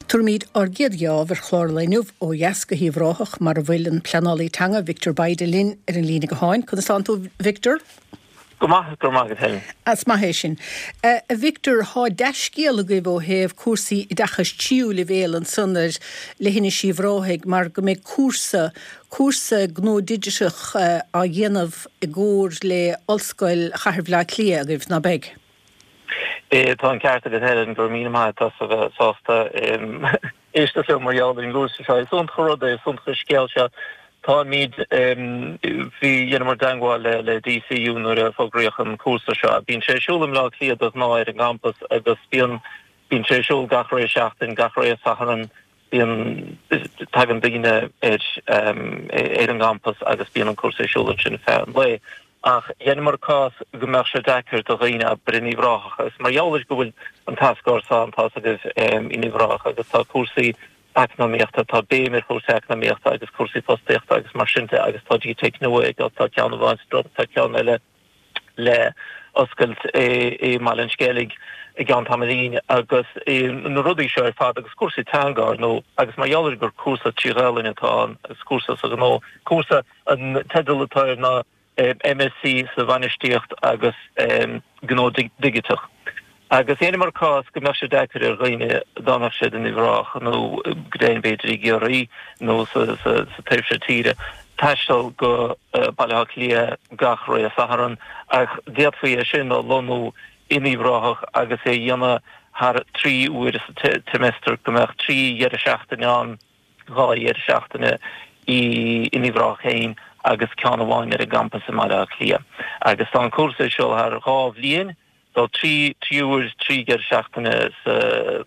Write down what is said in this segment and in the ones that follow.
Tabharfaimid ár gcéad gheábh ar chlár an lae inniu ó dheas go hUíbh Ráthach mar a bhfuil an pleanálaí teanga Victor Bayda linn ar an líne gutháin. Conas tánn tú Victor? Go maith, go raibh maith agat Helen. Is maith é sin. A Victor, thá dea-scéal agaibh ó thaobh cúrsaí oideachais tríú leibhéal ansan ar leithinis Uíbh Ráthaigh mar go mbeidh cúrsa, cúrsa gnó digiteach á dhéanamh i gcomhar le Ollscoil Chathair Bhaile Átha Cliath agaibh, ná beidh? Tá an ceart agat Helen, go raibh míle maith agat as a bheith sásta éisteacht liom mar gheall ar an gcúrsa seo. Is iontach an rud é, is iontach an scéal seo. Táimid, bhí, dheineamar dteangmháil le le DCU nuair a fógraíodh an cúrsa seo. Bíonn sé ar siúl i mBleá Cliath de ghnáth ar an gcampas agus bíonn, bíonn sé ar siúl gach re seachtain, gach re Satharn, bíonn, tagann daoine ar ar an gcampas agus bíonn an cúrsa ar siúl ansin ar feadh an lae. Ach dheineamar cás go mbeadh sé deacair do dhaoine abair in Uíbh Ráthach agus mar gheall ar go bhfuil an tAsc ann, tá's agaibh, in Uíbh Ráthach agus tá cúrsaí eacnamaíochta, tá béim ar chúrsaí eacnamaíochta agus cúrsaí fostaíochta agus mar sin de agus tá GTeic nua ag, tá ceann amháin sa Droma, tá ceann eile le oscailt i mBaile an Sceilg i gceann tamaillín agus na rudaí seo ar fad agus cúrsaí teanga ar ndóigh agus mar gheall ar gur cúrsa trí Ghaelainn atá ann agus cúrsa sa ghnó, cúrsa An teideal atá air ná MSc sa Bhainistíocht agus Gnó Digiteach. Agus dheineamar cás go mbeadh sé deacair ar dhaoine dá mbeadh siad in Uíbh Ráthach nó go deimhin b'fhéidir i gCiarraí nó sa taobh seo tíre taisteal go Baile Átha Cliath gach ré Satharn ach d'fhéadfaí é sin a lonnú in Uíbh Ráthach agus é a dhéanamh thar 3 uair sa tseimeastar go mbeadh 3 dheireadh seachtaine ann. 2 dheireadh seachtaine in Uíbh Ráthach féin agus ceann amháin ar an gcampas i mBaile Átha Cliath. Agus tá an cúrsa ar siúl thar 2 bhliain, so 3 3 uair, 3 dheireadh seachtaine sa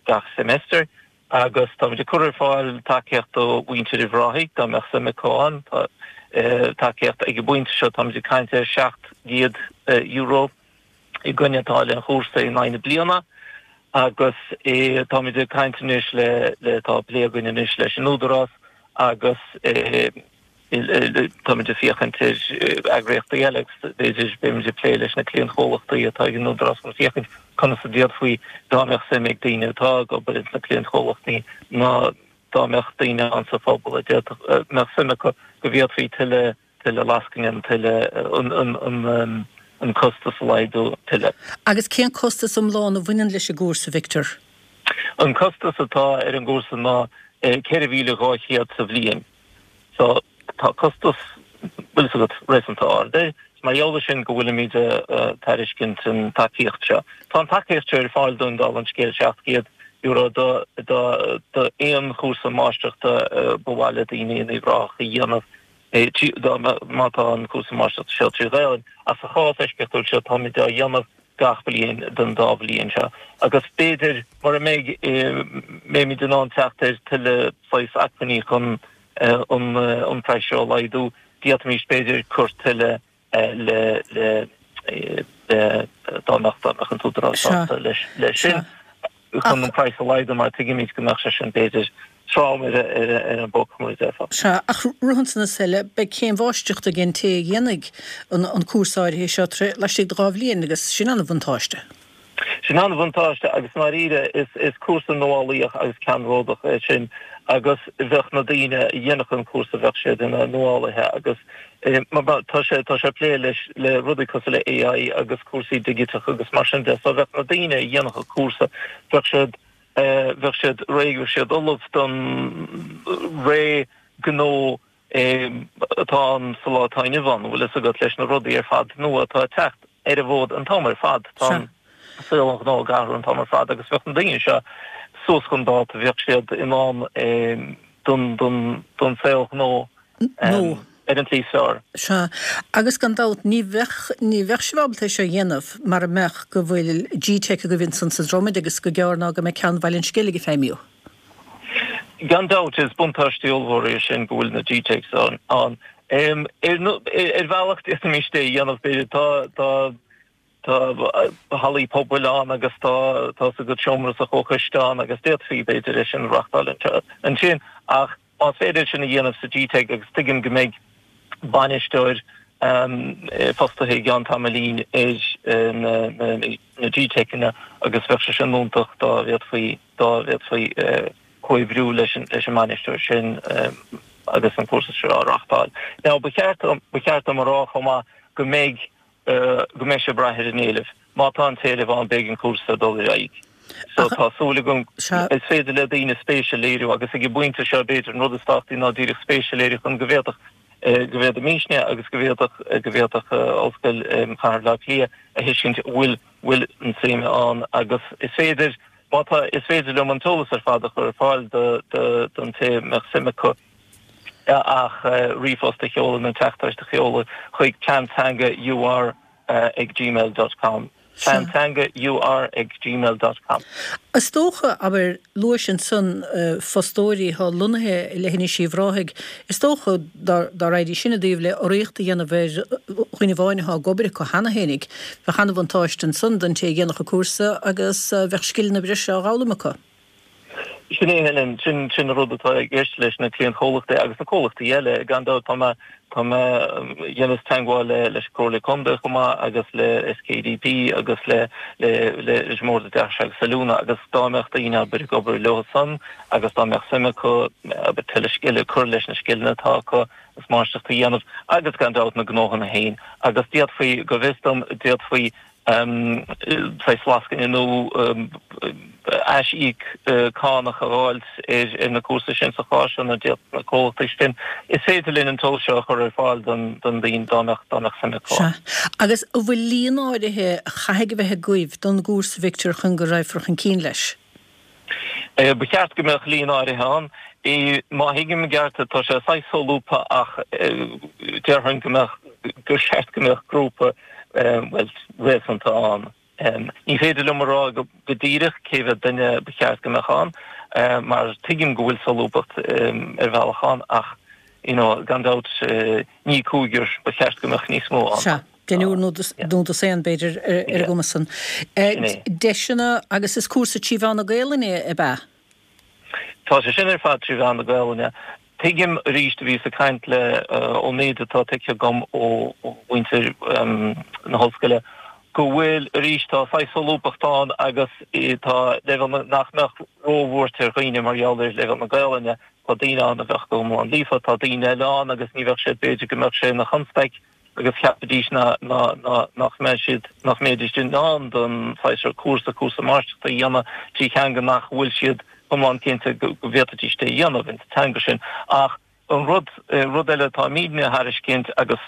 gach semester agus táimid ag cur ar fáil tacaíocht do mhuintir Uíbh Ráthaigh dá mbeadh suim acu ann. Tá tacaíocht ag an bpointe seo, táimid ag caint ar €700. i gcoinne táille an chúrsa in aghaidh na bliana agus táimid ag caint anois le, le, tá plé againn anois leis an Údarás agus táimid ag féachaint ar eagraíochtaí eile agus b'fhéidir beimid ag plé leis na cliantchomhlachtaí atá ag an Údarás chun féachaint conas a d'fhéadfaí dá mbeadh suim ag daoine atá ag obair ins na cliantchomhlachtaí nó dá mbeadh daoine ann sa phobal a d'fhéadfadh, mbeadh suim acu go bhféadfaí tuilleadh tuilleadh lascaine, tuilleadh an costas a laghdú tuilleadh. Agus cén costas iomlán a bhaineann leis an gcúrsa, Victor? An costas atá ar an gcúrsa ná 4,200 sa bhliain. So tá costas, bhfuil fhios agat, réasúnta ard air. Is mar gheall air sin go bhfuilimid ag tairiscint an tacaíocht seo. Tá an tacaíocht seo ar fáil dúinn, dála an scéil, €700 do do aon chúrsa máistreachta ba mhaith le daoine in Uíbh Ráthach a dhéanamh. Má tá an cúrsa máistreachta seo trí Ghaelainn, ach sa chás eisceachtúil seo táimid á dhéanamh gach bliain don dá bhliain seo agus b'fhéidir mura mbeidh mbeimid in ann teacht ar tuilleadh saghas acmhainní chun an praghas seo a laghdú, d'fhéadfaimis b'fhéidir cur tuilleadh le le dá mbeadh dá mbeadh an tÚdarás sásta leis sin chun an praghas a laghdú mar tuigimid go mbeadh sé sin b'fhéidir trom ar an bpóca mar a déarfá. Sea, ach rud ansan is eile, beidh céim mháistreachta ag an té a dhéanfaidh an cúrsa áirithe seo laistigh de 2 bhliain agus sin an-bhuntáiste. Sin an-bhuntáiste agus i ndáiríre is cúrsa nuálaíoch agus ceannródach é sin agus bheadh na daoine a dhéanfadh an cúrsa, bheadh siad ina nuálaithe agus tá sé tá sé ag plé leis le rudaí cosúil le AI agus cúrsaí digiteacha agus mar sin de so bheadh na daoine a dhéanfadh an cúrsa, bheadh siad bheadh siad réidh, bheadh siad ullamh don ré gnó atá ann sa lá atá inniu ann, bhfuil fhios agat, leis na rudaí ar fad nua atá ag teacht ar an bhfód an t-am ar fad. Tá an saol an ghnó ag athrú an t-am ar fad agus bheadh na daoine seo suas chun dáta, bheadh siad in ann don don saol gnó ar an tslí is fearr. Sea, agus gan dabht ní bheadh, ní bheadh sibh ábalta é seo a dhéanamh mara mbeadh go bhfuil GTeic agaibh ansan sa Dromaid agus gur gearr ná go mbeidh ceann Bhaile an Sceilg ag feidhmiú. Gan dabht, is buntáiste ollmhór é sin go bhfuil na GTeics ann. Ar bhealach d'fhéadfaimis é a dhéanamh, b'fhéidir. Tá, tá, tá hallaí pobail ann agus tá, tá's agat, seomra sa chomhchoiste ann agus d'fhéadfaí, b'fhéidir, é sin a reáchtáil ansin. Ach más féidir é sin a dhéanamh sa GTeic agus tuigim go mbeidh bainisteoir fostaithe i gceann tamaillín ar na GTeiceanna agus bheadh sé sin iontach dá bhféadfaí dá bhféadfaí. Comhoibriú leis an mbainisteoir sin agus an cúrsa seo á reáchtáil. Now ba cheart ba cheart dom a rá chomh maith go mbeidh go mbeidh sé ag brath ar an éileamh. Má tá an t-éileamh ann beidh an cúrsa ag dul ar aghaidh. So tá súil agam is féidir le daoine spéis a léiriú agus ag an bpointe seo b'fhéidir an rud is tábhachtaí ná díreach spéis a léiriú chun go bhféadfadh go bhféadfaimisne agus go bhféadfadh go bhféadfadh Ollscoil Chathair Bhaile Átha Cliath a thuiscint bhfuil bhfuil an suim ann agus is féidir Má tá, is féidir liom an t-eolas ar fad a chur ar fáil don té a mbeadh suim acu ach ríomhphost a sheoladh nó teachtaireacht a sheoladh chuig pleanteanga ur ag gmail dot com pleanteanga ur ag gmail dot com. Is dócha, abair, luais ansan fostóirí atá lonnaithe i Leithinis Uíbh Ráthaigh, is dócha, dá raghaidís sin i dtaobh le urraíocht a dhéanamh ar dhuine amháin atá ag obair acu cheana fhéinig, bheadh an-bhuntáiste ansan don té a dhéanfadh an cúrsa agus bheadh scileanna breise á dh'fhoghlaim acu. Sin é, Helen, sin sin an rud atá i gceist leis na cliantchomhlachtaí agus na comhlachtaí eile. Gan dabht tá mé tá mé dheineas teagmháil le leis an Comhairle Contae chomh maith agus le SKDP agus le le le leis an mBord Oideachais agus Oiliúna agus dá mbeadh daoine abair ag obair leo san agus dá mbeadh suim acu abair tuilleadh scile cur leis na scileanna atá acu agus máistreacht a dhéanamh agus gan dabht na gnóthanna féin agus d'fhéadfaí, go bhfios dom, d'fhéadfaí saghas lascaine nó aisíoc cánach a dh'fháilt ar na cúrsaí sin sa chás seo nó d'fhéadfadh na comhlachtaí sin. Is féidir linn an t-eolas seo a chur ar fáil don daoine dá mbeadh dá mbeadh suim acu. Sea. Agus an bhfuil líon áirithe a chaithfidh a bheith agaibh don gcúrsa, Victor, chun go raghfar chun cinn leis? Ba cheart go mbeadh líon áirithe ann. Má thuigim i gceart, tá sé saghas solúbtha ach déarfainn go mbeadh, gur cheart go mbeadh grúpa, bhuel, réasúnta ann. Ní féidir liom a rá go díreach cé mhéad duine ba cheart go mbeadh ann mar tuigim go bhfuil solúbthacht ar bhealach ann ach, you know, gan dabht ní cúigear, ba cheart go mbeadh níos mó ann. Sea. Deichniúr nó dosaen, b'fhéidir, ar an gcuma san. Deiseanna agus is cúrsa trí mheán na Gaelainne ab ea? Tá sé sin ar fad trí mheán na Gaelainne. Tuigim arís, bhíos ag caint le, ón méid atá tuigthe agam ó mhuintir na hollscoile, go bhfuil arís, tá saghas solúbthacht ann agus tá leibhéal nach mbeadh róbhuairt ar dhaoine mar gheall ar leibhéal na Gaelainne. Tá daoine ann a bheadh go hiomlán líofa, tá daoine eile ann agus ní bheadh siad, b'fhéidir go mbeadh sé ina chonstaic. agus cheapfaidís nach mbeadh siad, nach mbeidís in ann don saghas seo cúrsa, cúrsa máistreachta a dhéanamh trí theanga nach bhfuil siad iomlán cinnte go bhféadfaidís é a dhéanamh ins an teanga sin. Ach an rud, rud eile atáimidne a thairiscint agus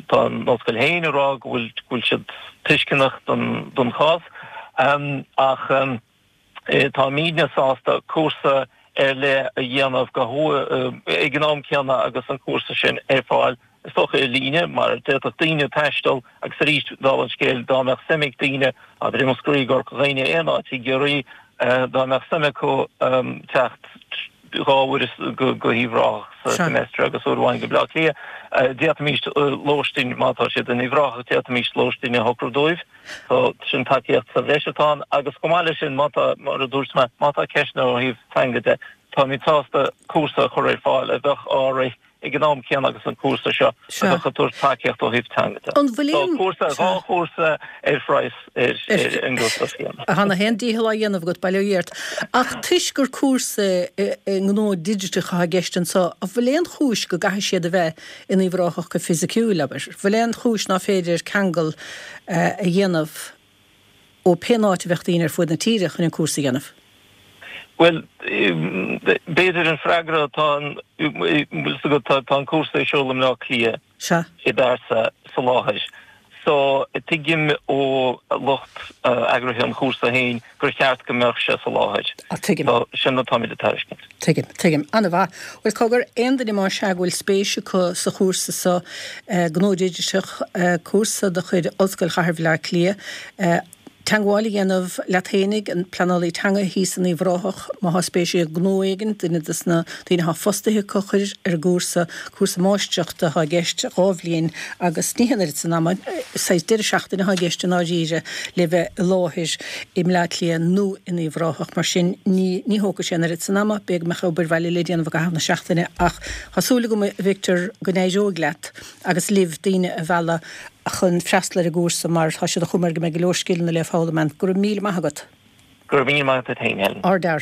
tá an ollscoil féin ag rá go bhfuil, go bhfuil siad tuisceanach don, don chás ach, Táimidne sásta cúrsa ar leith a dhéanamh go ag an am céanna agus an cúrsa sin ar fáil, is dócha ar líne, mar d'fhéadfadh daoine taisteal agus arís, dála an scéil, dá mbeadh suim ag daoine, abair i Múscraí, i gCorca Dhuibhne, aon áit i gCiarraí, dá mbeadh suim acu teacht dhá uair go hUíbh Ráthach sa semester agus uair amháin go Bleá Cliath, d'fhéadfaimis lóistín, má tá siad in Uíbh Ráthach, d'fhéadfaimis lóistín a shocrú dóibh. So, sin tacaíocht sa bhreis atá ann agus chomh maith leis sin, má tá, mar a dúirt mé, má tá ceisteanna ó thaobh teanga de, táimid sásta cúrsa a chur ar fáil a bheadh á rith ag an am céanna agus an cúrsa seo a bheadh ag tabhairt tacaíocht ó thaobh teanga de. An bhfuil So, aon, cúrsa, dhá chúrsa ar phraghas, ar, ar an gcostas céanna. Tá na haon dícheall á dhéanamh agat, bail ó Dhia ort. Ach toisc gur cúrsa i ngnó digiteach atá i gceist anseo, an bhfuil aon chúis go gcaithfidh siad a bheith in Uíbh Ráthach go fisiciúil, abair. Bhfuil aon chúis ná féidir ceangal a dhéanamh ó pén áit a bheadh daoine ar fuaid na tíre chun an cúrsa a dhéanamh? Bhuel, b'fhéidir an freagra atá an, bhfuil fhios agat, tá an cúrsa ar siúl i mBleá Cliath i bpearsa sa láthair. So, tuigim ó lucht eagraithe an chúrsa féin gur cheart go mbeadh sé sa láthair. Ah, tuigim. So, sin atáimid ag tairiscint. Tuigim, tuigim. An-mhaith. Bhuel, cogar, aon duine más ea go bhfuil spéis acu sa chúrsa seo, Gnó Digiteach, cúrsa de chuid Ollscoil Chathair Bhaile Átha Cliath, Teagmháil a dhéanamh leat fhéinig, an pleanálaí teanga thíos in Uíbh Ráthach, má thá spéis ag gnó éigin, duine des na daoine athá fostaithe acu a chur ar an gcúrsa, cúrsa máistreachta athá i gceist, 2 bhliain, agus ní haon oiread san ama, saghas deireadh seachtaine athá i gceist i ndáiríre le bheith i láthair i mBleá Cliath nó in Uíbh Ráthach, mar sin ní ní thógfaidh sé an oiread san ama, b'fhéidir go mbeadh obair bhaile le déanamh i gcaitheamh na seachtaine ach thá súil agam a Victor go n-éireoidh leat agus libh daoine a mhealladh chun freastal ar an gcúrsa mar tá sé de chuma air go mbeidh go leor scileanna le foghlaim ann. Go raibh míle maith agat. Go raibh míle maith agat féin, Helen. Ardfhear.